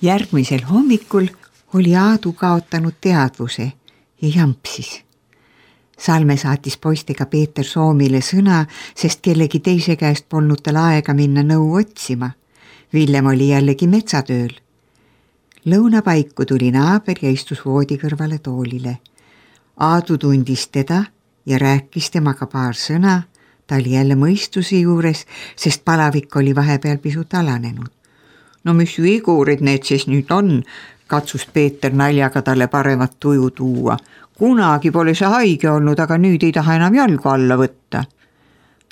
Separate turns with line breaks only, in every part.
Järgmisel hommikul oli Aadu kaotanud teadvuse ja jampsis. Salme saatis poistega Peeter Soomile sõna, sest kellegi teise käest polnud tal aega minna nõu otsima. Villem oli jällegi metsatööl. Lõunapaiku tuli naaber ja istus voodi kõrvale toolile. Aadu tundis teda ja rääkis temaga paar sõna. Ta oli jälle mõistuse juures, sest palavik oli vahepeal pisut alanenud. No mis vigurid need siis nüüd on, katsus Peeter naljaga talle paremat tuju tuua. Kunagi pole see haige olnud, aga nüüd ei taha enam jalgu alla võtta.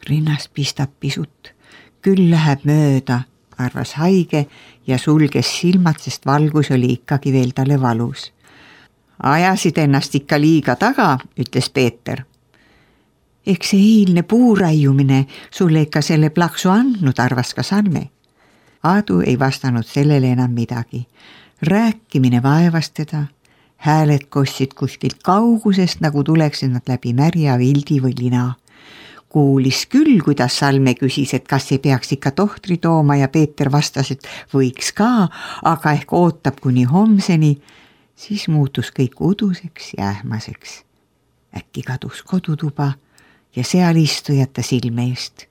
Rinnas pistab pisut. Küll läheb mööda, arvas haige ja sulges silmad, sest valgus oli ikkagi veel talle valus. Ajasid ennast ikka liiga taga, ütles Peeter. Eks see eilne puuraiumine sulle ikka selle plaksu andnud, arvas ka Salme. Aadu ei vastanud sellele enam midagi. Rääkimine vaevas teda. Hääled kostsid kuskilt kaugusest, nagu tuleksid nad läbi märja vildi või lina. Kuulis küll, kuidas Salme küsis, et kas ei peaks ikka tohtri tooma ja Peeter vastas, et võiks ka, aga ehk ootab kuni homseni. Siis muutus kõik uduseks ja ähmaseks. Äkki kadus kodutuba ja seal istujata silme eest.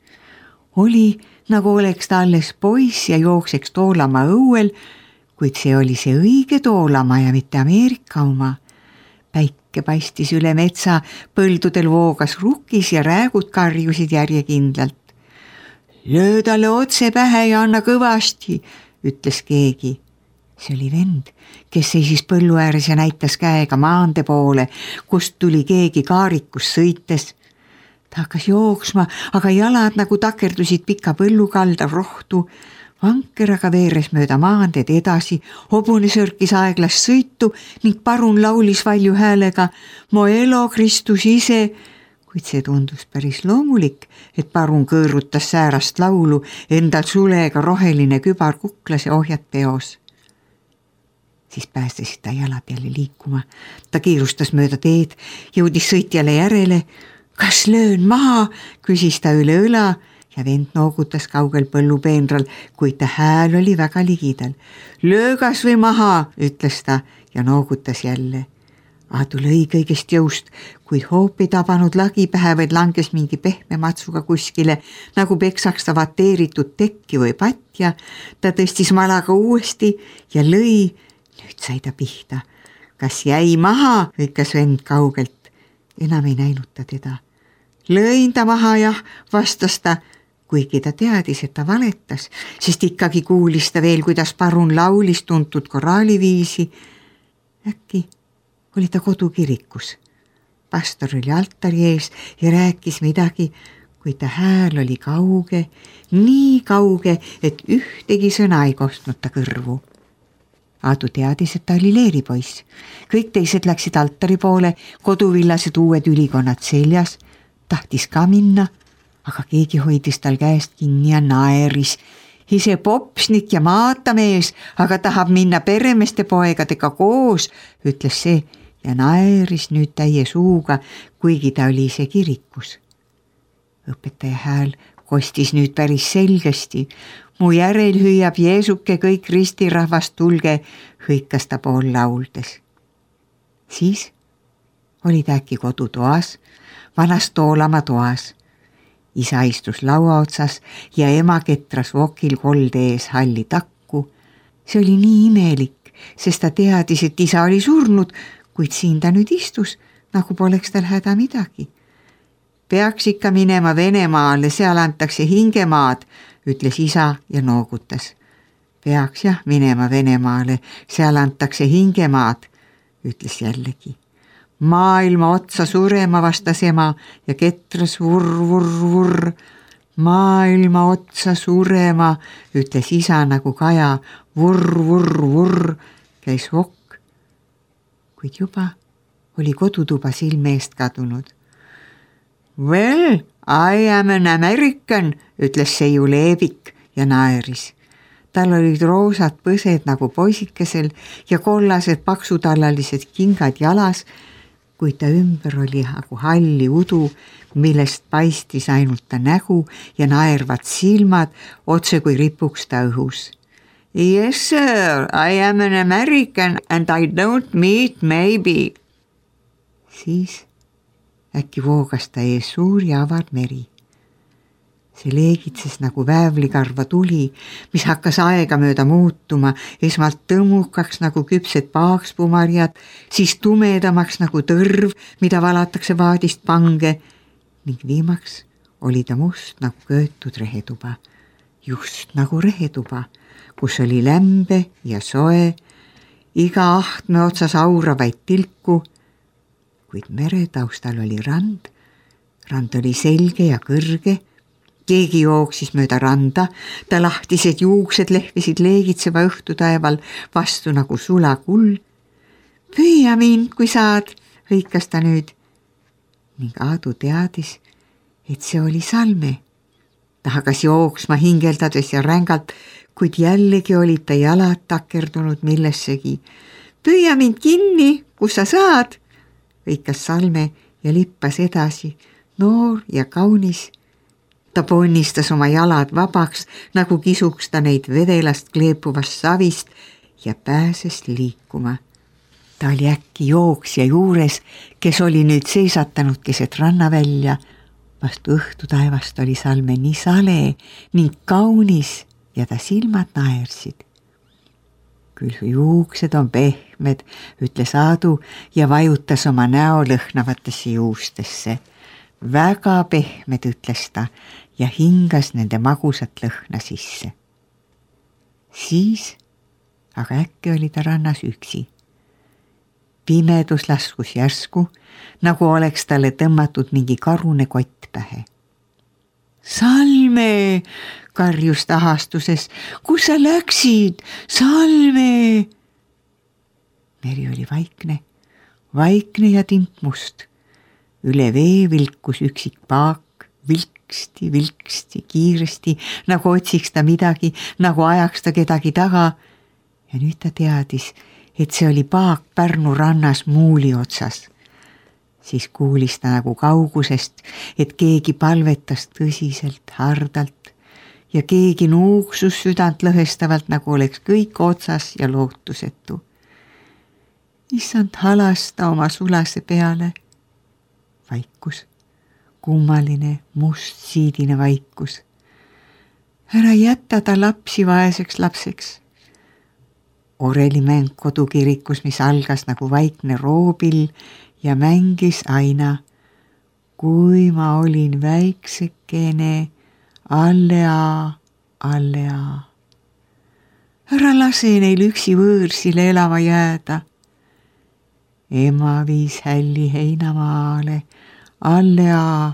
Oli, nagu oleks ta alles poiss ja jookseks Toolamaa õuel, kuid see oli see õige Toolamaa ja mitte Ameerika oma. Päike paistis üle metsa, põldudel voogas rukkis ja räägud karjusid järjekindlalt. Löö talle otse pähe ja anna kõvasti, ütles keegi. See oli vend, kes seisis põllu ääres ja näitas käega maande poole, kust tuli keegi kaarikus sõites. Ta hakkas jooksma, aga jalad nagu takerdusid pika põllukalda rohtu. Vanker aga veeres mööda maandeed edasi, hobune sörkis aeglast sõitu ning parun laulis valju häälega Mo elo Kristus ise, kuid see tundus päris loomulik, et parun kõõrutas säärast laulu, endal sulega roheline kübar kuklas ja ohjad peos. Siis päästesid ta jalad jälle liikuma. Ta kiirustas mööda teed, jõudis sõitjale järele. Kas löön maha, küsis ta üle õla ja vend noogutas kaugel põllupeenral, kuid ta hääl oli väga ligidal. Löö kas või maha, ütles ta ja noogutas jälle. Aadu lõi kõigest jõust, kuid hoop ei tabanud lagi pähe, vaid langes mingi pehme matsuga kuskile, nagu peksaks ta vateeritud tekki või patja. Ta tõstis malaga uuesti ja lõi. Nüüd sai ta pihta. Kas jäi maha, hõikas vend kaugelt. Enam ei näinud ta teda. Lõin ta maha, jah, vastas ta, kuigi ta teadis, et ta valetas, sest ikkagi kuulis ta veel, kuidas parun laulis tuntud koraaliviisi. Äkki oli ta kodukirikus. Pastor oli altari ees ja rääkis midagi, kuid ta hääl oli kauge, nii kauge, et ühtegi sõna ei kostnud ta kõrvu. Aadu teadis, et ta oli leeripoiss. Kõik teised läksid altari poole, koduvillased uued ülikonnad seljas. Tahtis ka minna, aga keegi hoidis tal käest kinni ja naeris. Ise popsnik ja maatamees, aga tahab minna peremeeste poegadega koos, ütles see ja naeris nüüd täie suuga, kuigi ta oli ise kirikus. Õpetaja hääl kostis nüüd päris selgesti. Mu järel hüüab Jeesuke kõik ristirahvast tulge, hõikas ta pool lauldes. Siis oli ta äkki kodutoas, vanas Toolamaa toas. Isa istus laua otsas ja ema ketras vokil kolde ees halli takku. See oli nii imelik, sest ta teadis, et isa oli surnud, kuid siin ta nüüd istus, nagu poleks tal häda midagi. Peaks ikka minema Venemaale, seal antakse hingemaad, ütles isa ja noogutas. Peaks jah minema Venemaale, seal antakse hingemaad, ütles jällegi. Maailma otsa surema, vastas ema ja ketras vurr. Maailma otsa surema, ütles isa nagu kaja, vurr, käis vokk. Kuid juba oli kodutuba silme eest kadunud. Well, I am an American, ütles seiu leebik ja naeris. Tal olid roosad põsed nagu poisikesel ja kollased paksutallalised kingad jalas, kuid ta ümber oli nagu halli udu, millest paistis ainult ta nägu ja naervad silmad, otse kui ripuks ta õhus. Yes, sir, I am an American and I don't meet maybe. Siis äkki voogas ta ees suur ja avar meri. See leegitses nagu väävlikarva tuli, mis hakkas aegamööda muutuma, esmalt tõmmukaks nagu küpsed paakspumarjad, siis tumedamaks nagu tõrv, mida valatakse vaadist pange, ning viimaks oli ta must nagu köötud rehetuba, just nagu rehetuba, kus oli lämbe ja soe, iga ahtme otsas auravaid tilku, kuid meretaustal oli rand. Rand oli selge ja kõrge, keegi jooksis mööda randa, ta lahtised juuksed lehvisid leegitseva õhtutaeval vastu nagu sulakuld. Püüa mind, kui saad, hõikas ta nüüd. Ning Aadu teadis, et see oli Salme. Ta hakkas jooksma hingeldades ja rängalt, kuid jällegi olid ta jalad takerdunud millessegi. Püüa mind kinni, kus sa saad, hõikas Salme ja lippas edasi, noor ja kaunis. Ta ponnistas oma jalad vabaks, nagu kisuks ta neid vedelast kleepuvast savist ja pääses liikuma. Ta oli äkki jooksja juures, kes oli nüüd seisatanud keset rannavälja. Vastu õhtutaevast oli Salme nii sale ning kaunis ja ta silmad naersid. Küll su juuksed on pehmed, ütles Aadu ja vajutas oma näo lõhnavatesse juustesse. Väga pehmed, ütles ta ja hingas nende magusat lõhna sisse. Siis aga äkki oli ta rannas üksi. Pimedus laskus järsku, nagu oleks talle tõmmatud mingi karune kott pähe. Salme, karjus tahastuses, kus sa läksid? Salme! Meri oli vaikne ja tintmust. Üle vee vilkus üksik paak, vilksti, kiiresti, nagu otsiks ta midagi, nagu ajaks ta kedagi taga. Ja nüüd ta teadis, et see oli paak Pärnu rannas muuli otsas. Siis kuulis ta nagu kaugusest, et keegi palvetas tõsiselt, hardalt ja keegi nuuksus südant lõhestavalt, nagu oleks kõik otsas ja lootusetu. Issand halasta oma sulase peale. Vaikus, kummaline, must siidine vaikus. Ära jätta ta lapsi vaeseks lapseks. Oreli mäng kodukirikus, mis algas nagu vaikne roobil ja mängis aina. Kui ma olin väiksekene, allea. Ära lase neil üksi võõrsile elama jääda. Ema viis hälli heinamaale, allea.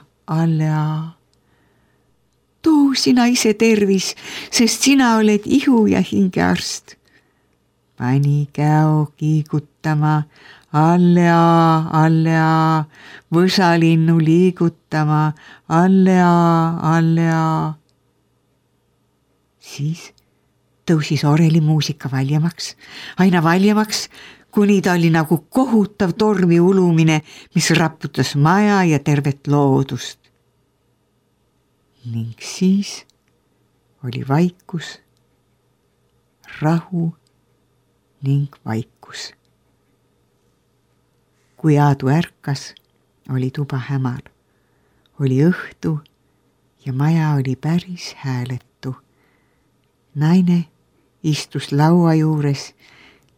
Too sina ise tervis, sest sina oled ihu ja hingearst. Pani käo kiigutama, allea, võsalinnu liigutama, allea. Siis tõusis Oreli muusika valjemaks, aina valjemaks, kuni ta oli nagu kohutav tormi ulumine, mis raputas maja ja tervet loodust. Ning siis oli vaikus, rahu ning vaikus. Kui Aadu ärkas, oli tuba hämar, oli õhtu ja maja oli päris hääletu. Naine istus laua juures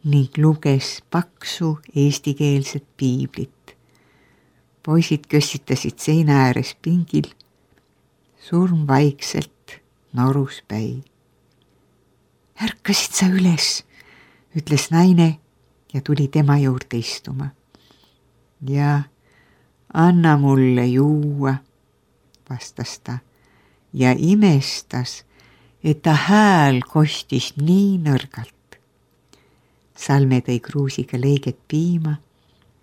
ning luges paksu eestikeelset piiblit. Poisid kössitasid seina ääres pingil, surm vaikselt norus päi. Ärkasid sa üles, ütles naine ja tuli tema juurde istuma. Ja anna mulle juua, vastas ta ja imestas, et ta hääl kostis nii nõrgalt. Salme tõi kruusiga leiget piima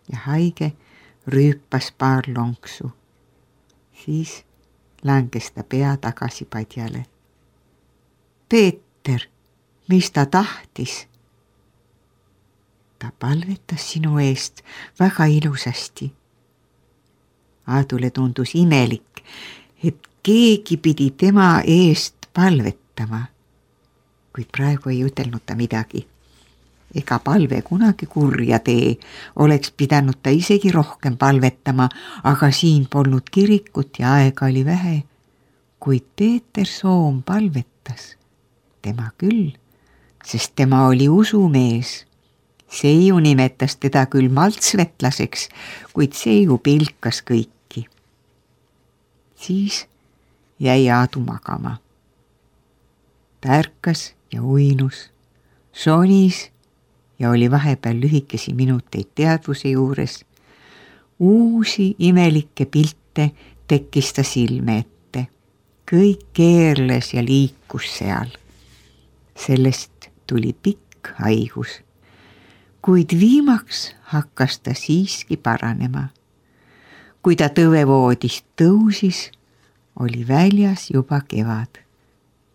ja haige rüüpas paar lonksu. Siis langes ta pea tagasi padjale. Peeter, mis ta tahtis? Ta palvetas sinu eest väga ilusasti. Aadule tundus imelik, et keegi pidi tema eest palvetama. kuid praegu ei ütelnud ta midagi. Ega palve kunagi kurja tee, oleks pidanud ta isegi rohkem palvetama, aga siin polnud kirikut ja aega oli vähe. Kuid Peeter Soom palvetas, tema küll, sest tema oli usumees. Seiu nimetas teda küll maltsvetlaseks, kuid Seiu pilkas kõiki. Siis jäi Aadu magama. Ta ärkas ja uinus, sonis ja oli vahepeal lühikesi minuteid teadvuse juures. Uusi imelikke pilte tekkis ta silme ette. Kõik keerles ja liikus seal. Sellest tuli pikk haigus. Kuid viimaks hakkas ta siiski paranema. Kui ta tõvevoodist tõusis, oli väljas juba kevad.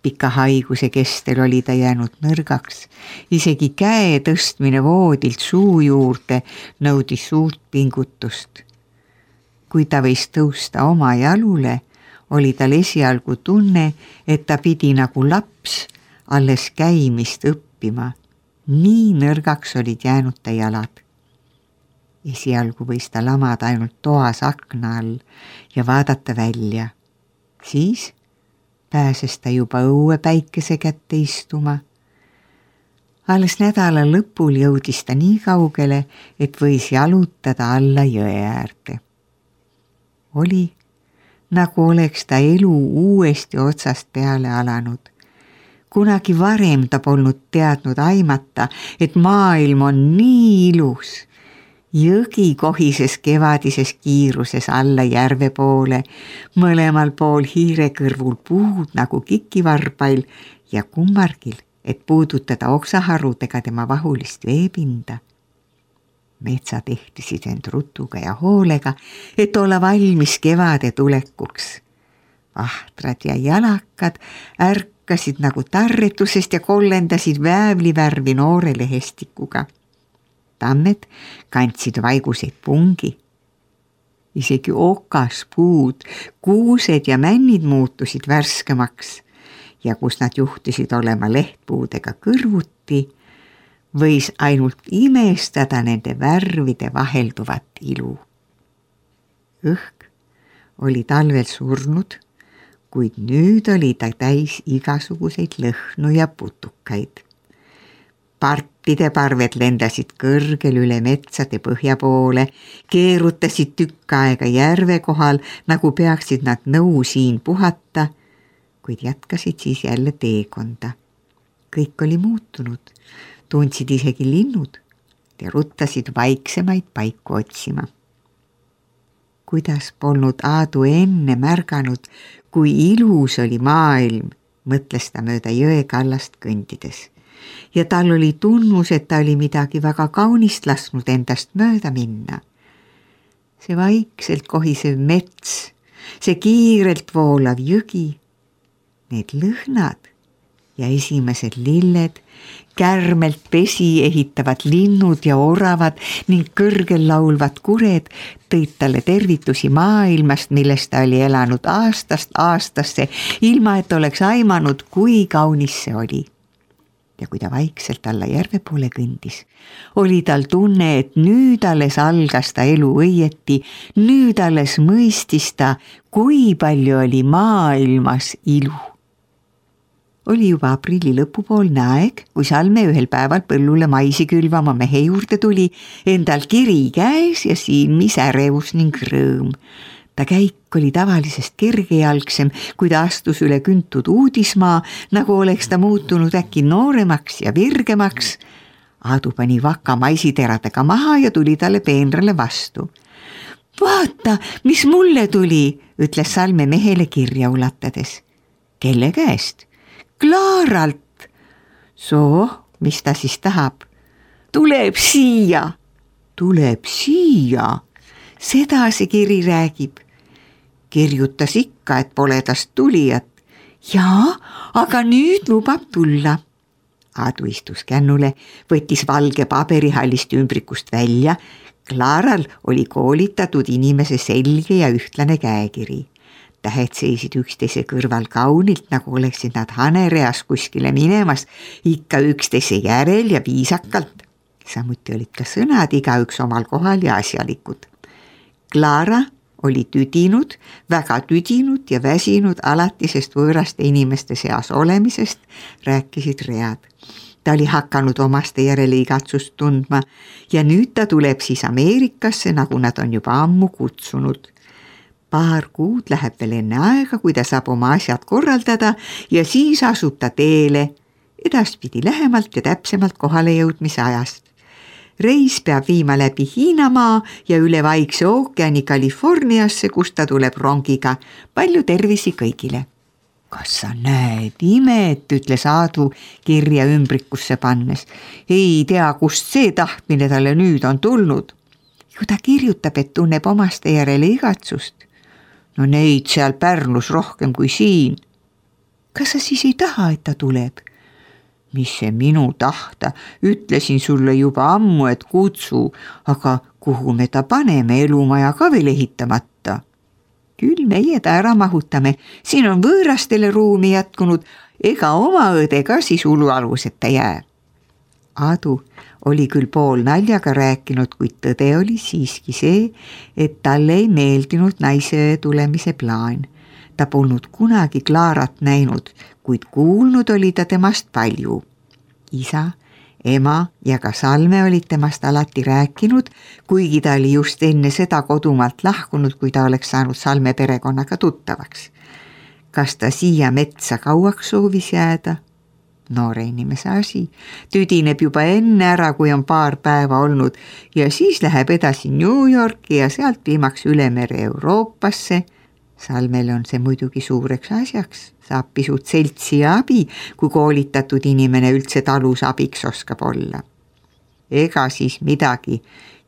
Pika haiguse kestel oli ta jäänud nõrgaks, isegi käe tõstmine voodilt suu juurde nõudis suurt pingutust. Kui ta võis tõusta oma jalule, oli tal esialgu tunne, et ta pidi nagu laps alles käimist õppima. Nii nõrgaks olid jäänud ta jalad. Esialgu võis ta lamada ainult toas akna all ja vaadata välja. Siis pääses ta juba õue päikese kätte istuma. Alles nädala lõpul jõudis ta nii kaugele, et võis jalutada alla jõe äärde. Oli, nagu oleks ta elu uuesti otsast peale alanud. Kunagi varem ta polnud teadnud aimata, et maailm on nii ilus. Jõgi kohises kevadises kiiruses alla järve poole, mõlemal pool hiirekõrvul puud nagu kikivarbail ja kummargil, et puudutada oksaharudega tema vahulist veepinda. Metsad ehtisid end rutuga ja hoolega, et olla valmis kevade tulekuks. Vahtrad ja jalakad ärkasid nagu tarretusest ja kollendasid väävlivärvi noore lehestikuga. Tammed kandsid vaiguseid pungi. Isegi okaspuud, kuused ja männid muutusid värskemaks ja kus nad juhtisid olema lehtpuudega kõrvuti, võis ainult imestada nende värvide vahelduvat ilu. Õhk oli talvel surnud, kuid nüüd oli ta täis igasuguseid lõhnu ja putukaid. Partide parved lendasid kõrgel üle metsade põhja poole, keerutasid tükk aega järve kohal, nagu peaksid nad nõu siin puhata, kuid jätkasid siis jälle teekonda. Kõik oli muutunud, tundsid isegi linnud ja ruttasid vaiksemaid paiku otsima. Kuidas polnud Aadu enne märganud, kui ilus oli maailm, mõtles ta mööda jõe kallast kõndides. Ja tal oli tunnus, et ta oli midagi väga kaunist lasknud endast mööda minna. See vaikselt kohisev mets, see kiirelt voolav jõgi, need lõhnad ja esimesed lilled, kärmelt pesi ehitavad linnud ja oravad ning kõrgel laulvad kured tõid talle tervitusi maailmast, millest ta oli elanud aastast aastasse, ilma et oleks aimanud, kui kaunis see oli. Ja kui ta vaikselt alla järve poole kõndis, oli tal tunne, et nüüd alles algas ta elu õieti, nüüd alles mõistis ta, kui palju oli maailmas ilu. Oli juba aprilli lõpupoolne aeg, kui Salme ühel päeval põllule maisi külvama mehe juurde tuli, endal kiri käes ja silmis ärevus ning rõõm. Ta käik oli tavalisest kergejalgsem, kui ta astus üle küntud uudismaa, nagu oleks ta muutunud äkki nooremaks ja virgemaks. Aadu pani vaka maisiteradega maha ja tuli talle peenrale vastu. Vaata, mis mulle tuli, ütles Salme mehele kirja ulatades. Kelle käest? Klaaralt. Soo, mis ta siis tahab? Tuleb siia. Tuleb siia. Seda see kiri räägib. Kirjutas ikka, et pole tast tulijat. Jaa, aga nüüd lubab tulla. Aadu istus kännule, võttis valge paberihallist ümbrikust välja. Klaaral oli koolitatud inimese selge ja ühtlane käekiri. tähed seisid üksteise kõrval kaunilt, nagu oleksid nad hanereas kuskile minemas, ikka üksteise järel ja viisakalt. Samuti olid ka sõnad igaüks omal kohal ja asjalikud. Clara oli tüdinud, väga tüdinud ja väsinud alatisest võõraste inimeste seas olemisest, rääkisid read. Ta oli hakanud omaste järele igatsust tundma ja nüüd ta tuleb siis Ameerikasse, nagu nad on juba ammu kutsunud. Paar kuud läheb veel enne aega, kui ta saab oma asjad korraldada ja siis asub ta teele, edaspidi lähemalt ja täpsemalt kohale jõudmise ajast. Reis peab viima läbi Hiinamaa ja üle Vaikse ookeani Californiasse, kus ta tuleb rongiga. Palju tervisi kõigile. Kas sa näed imet, ütles Aadu kirja ümbrikusse pannes. Ei tea, kust see tahtmine talle nüüd on tulnud. Ju ta kirjutab, et tunneb omaste järele igatsust. No neid seal Pärnus rohkem kui siin. Kas sa siis ei taha, et ta tuleb? Mis see minu tahta? Ütlesin sulle juba ammu, et kutsu, aga kuhu me ta paneme, elumaja ka veel ehitamata? Küll meie ta ära mahutame, siin on võõrastele ruumi jätkunud, ega oma õde ka siis ulualuseta jää. Aadu oli küll pool naljaga rääkinud, kuid tõde oli siiski see, et talle ei meeldinud naise tulemise plaan. Ta polnud kunagi Clarat näinud, kuid kuulnud oli ta temast palju. Isa, ema ja ka Salme olid temast alati rääkinud, kuigi ta oli just enne seda kodumaalt lahkunud, kui ta oleks saanud Salme perekonnaga tuttavaks. Kas ta siia metsa kauaks soovis jääda? Noore inimese asi. Tüdineb juba enne ära, kui on paar päeva olnud ja siis läheb edasi New Yorki ja sealt viimaks üle mere Euroopasse. Salmele on see muidugi suureks asjaks, saab pisut seltsi ja abi, kui koolitatud inimene üldse talus abiks oskab olla. Ega siis midagi,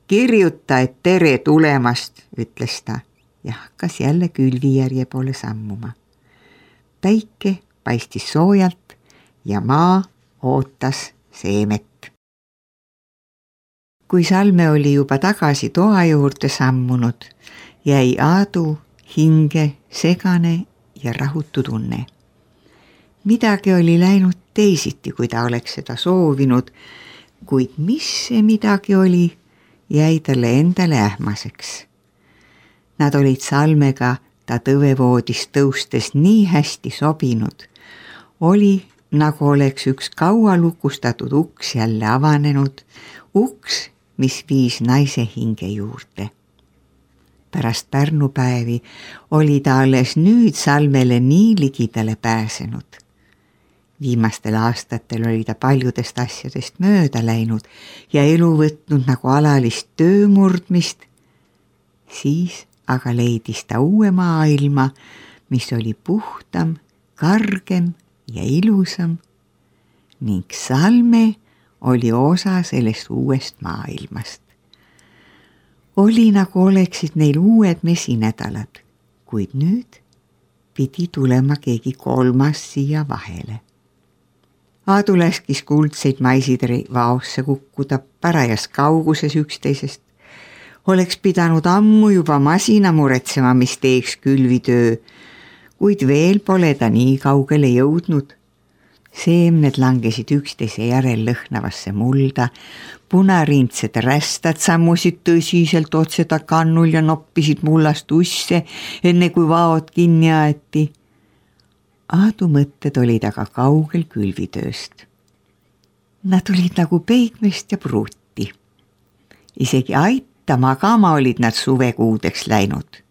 kirjuta, et tere tulemast, ütles ta ja hakkas jälle külvijärje poole sammuma. Päike paistis soojalt ja maa ootas seemet. Kui Salme oli juba tagasi toa juurde sammunud, jäi Aadu hinge segane ja rahutu tunne. Midagi oli läinud teisiti, kui ta oleks seda soovinud, kuid mis see midagi oli, jäi talle endale ähmaseks. Nad olid Salmega ta tõvevoodist tõustes nii hästi sobinud. Oli, nagu oleks üks kaua lukustatud uks jälle avanenud, uks, mis viis naise hinge juurde. Pärast Pärnupäevi oli ta alles nüüd Salmele nii ligidale pääsenud. Viimastel aastatel oli ta paljudest asjadest mööda läinud ja elu võtnud nagu alalist töömurdmist. Siis aga leidis ta uue maailma, mis oli puhtam, kargem ja ilusam ning Salme oli osa sellest uuest maailmast. Oli nagu oleksid neil uued mesinädalad, kuid nüüd pidi tulema keegi kolmas siia vahele. Aadu laskis kuldseid maisiteri vaosse kukkuda parajas kauguses üksteisest. Oleks pidanud ammu juba masina muretsema, mis teeks külvitöö, kuid veel pole ta nii kaugele jõudnud. Seemned langesid üksteise järel lõhnavasse mulda, punarindsed rästad sammusid tõsiselt otseda kannul ja noppisid mullast usse, enne kui vaod kinni aeti. Aadu mõtted olid aga kaugel külvitööst. Nad olid nagu peigmest ja pruuti. Isegi aita magama olid nad suvekuudeks läinud.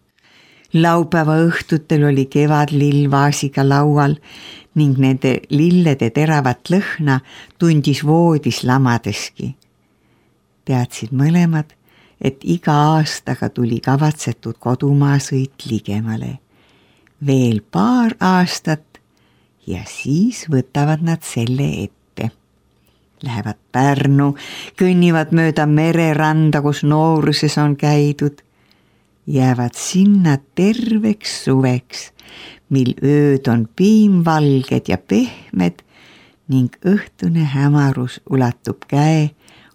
Laupäeva õhtutel oli kevadlill vaasiga laual ning nende lillede teravat lõhna tundis voodis lamadeski. Teadsid mõlemad, et iga aastaga tuli kavatsetud kodumaasõit ligemale. Veel paar aastat ja siis võtavad nad selle ette. Lähevad Pärnu, kõnnivad mööda mereranda, kus nooruses on käidud. Jäävad sinna terveks suveks, mil ööd on piimvalged ja pehmed ning õhtune hämarus ulatub käe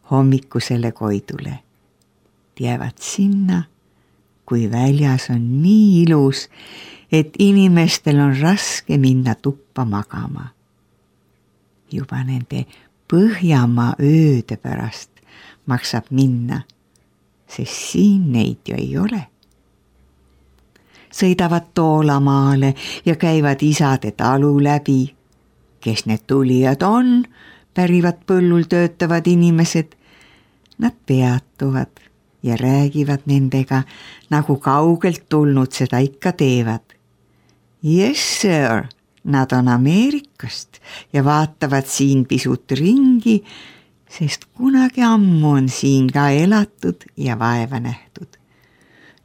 hommikusele koidule. Jäävad sinna, kui väljas on nii ilus, et inimestel on raske minna tuppa magama. Juba nende Põhjamaa ööde pärast maksab minna, sest siin neid ju ei ole. Sõidavad Toolamaale ja käivad isade talu läbi. Kes need tulijad on, pärivad põllul töötavad inimesed. Nad peatuvad ja räägivad nendega, nagu kaugelt tulnud seda ikka teevad. Yes, sir, nad on Ameerikast ja vaatavad siin pisut ringi, sest kunagi ammu on siin ka elatud ja vaeva nähtud.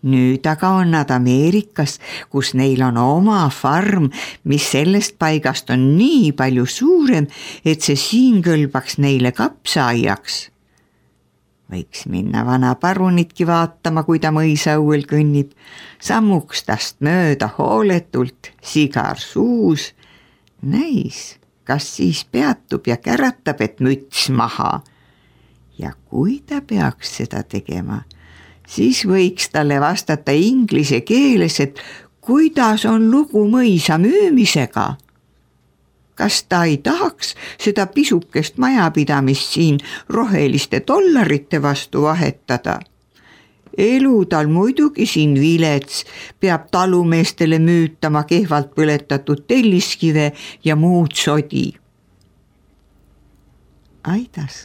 Nüüd aga on nad Ameerikas, kus neil on oma farm, mis sellest paigast on nii palju suurem, et see siin kõlbaks neile kapsaaiaks. Võiks minna vana parunitki vaatama, kui ta mõisauel kõnnib, sammuks tast mööda hooletult, sigar suus. Näis, kas siis peatub ja käratab, et müts maha. Ja kui ta peaks seda tegema, siis võiks talle vastata inglise keeles, et kuidas on lugu mõisa müümisega. Kas ta ei tahaks seda pisukest majapidamist siin roheliste dollarite vastu vahetada? Elu tal muidugi siin vilets, peab talumeestele müütama kehvalt põletatud telliskive ja muud sodi. Aidas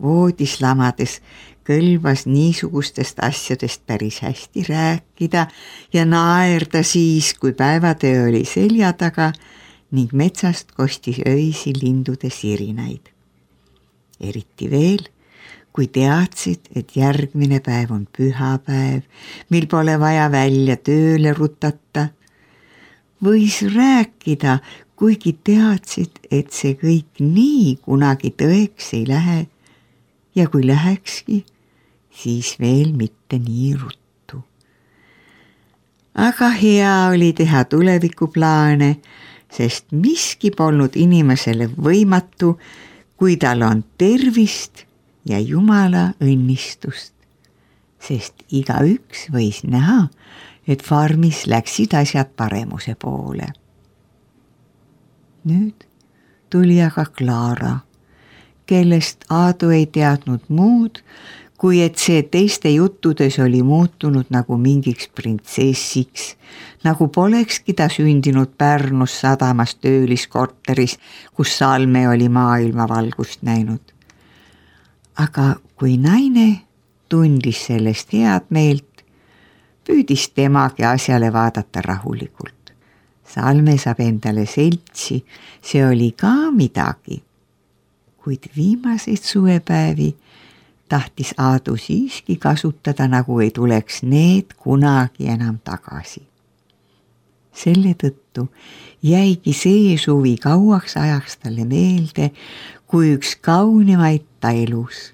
voodis lamades kõlbas niisugustest asjadest päris hästi rääkida ja naerda siis, kui päevatöö oli selja taga ning metsast kostis öisi lindude sirinaid. Eriti veel, kui teadsid, et järgmine päev on pühapäev, mil pole vaja välja tööle rutata. Võis rääkida, kuigi teadsid, et see kõik nii kunagi tõeks ei lähe ja kui lähekski, siis veel mitte nii ruttu. Aga hea oli teha tulevikuplaane, sest miski polnud inimesele võimatu, kui tal on tervist ja Jumala õnnistust, sest igaüks võis näha, et farmis läksid asjad paremuse poole. Nüüd tuli aga Klaara, kellest Aadu ei teadnud muud, kui et see teiste juttudes oli muutunud nagu mingiks printsessiks, nagu polekski ta sündinud Pärnus sadamas tööliskorteris, kus Salme oli maailmavalgust näinud. Aga kui naine tundis sellest head meelt, püüdis temagi asjale vaadata rahulikult. Salme saab endale seltsi, see oli ka midagi. Kuid viimaseid suvepäevi tahtis Aadu siiski kasutada, nagu ei tuleks need kunagi enam tagasi. Selle tõttu jäigi see suvi kauaks ajaks talle meelde, kui üks kaunimaid ta elus.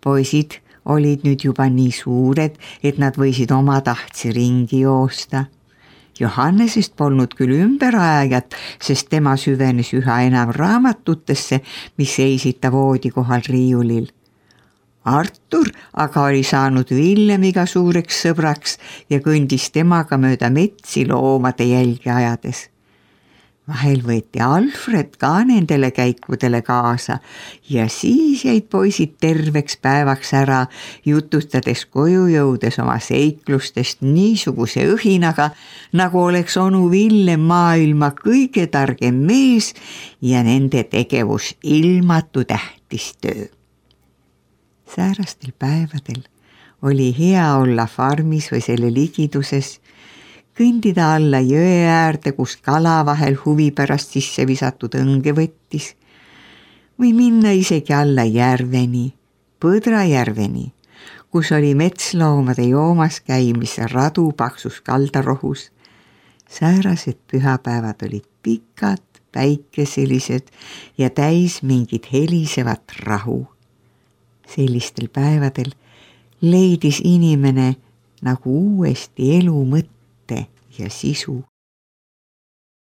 Poisid olid nüüd juba nii suured, et nad võisid oma tahtsi ringi joosta. Johannesest polnud küll ümberajajat, sest tema süvenes üha enam raamatutesse, mis seisid ta voodi kohal riiulil. Artur aga oli saanud Villemiga suureks sõbraks ja kõndis temaga mööda metsi loomade jälgi ajades. Vahel võeti Alfred ka nendele käikudele kaasa ja siis jäid poisid terveks päevaks ära, jutustades koju jõudes oma seiklustest niisuguse õhinaga, nagu oleks onu Villem maailma kõige targem mees ja nende tegevus ilmatu tähtis töö. Säärastel päevadel oli hea olla farmis või selle ligiduses, kõndida alla jõe äärde, kus kala vahel huvi pärast sisse visatud õnge võttis, või minna isegi alla järveni, Põdrajärveni, kus oli metsloomade joomas käimise radu paksus kaldarohus. Säärased pühapäevad olid pikad, päikeselised ja täis mingit helisevat rahu. Sellistel päevadel leidis inimene nagu uuesti elu mõtte ja sisu.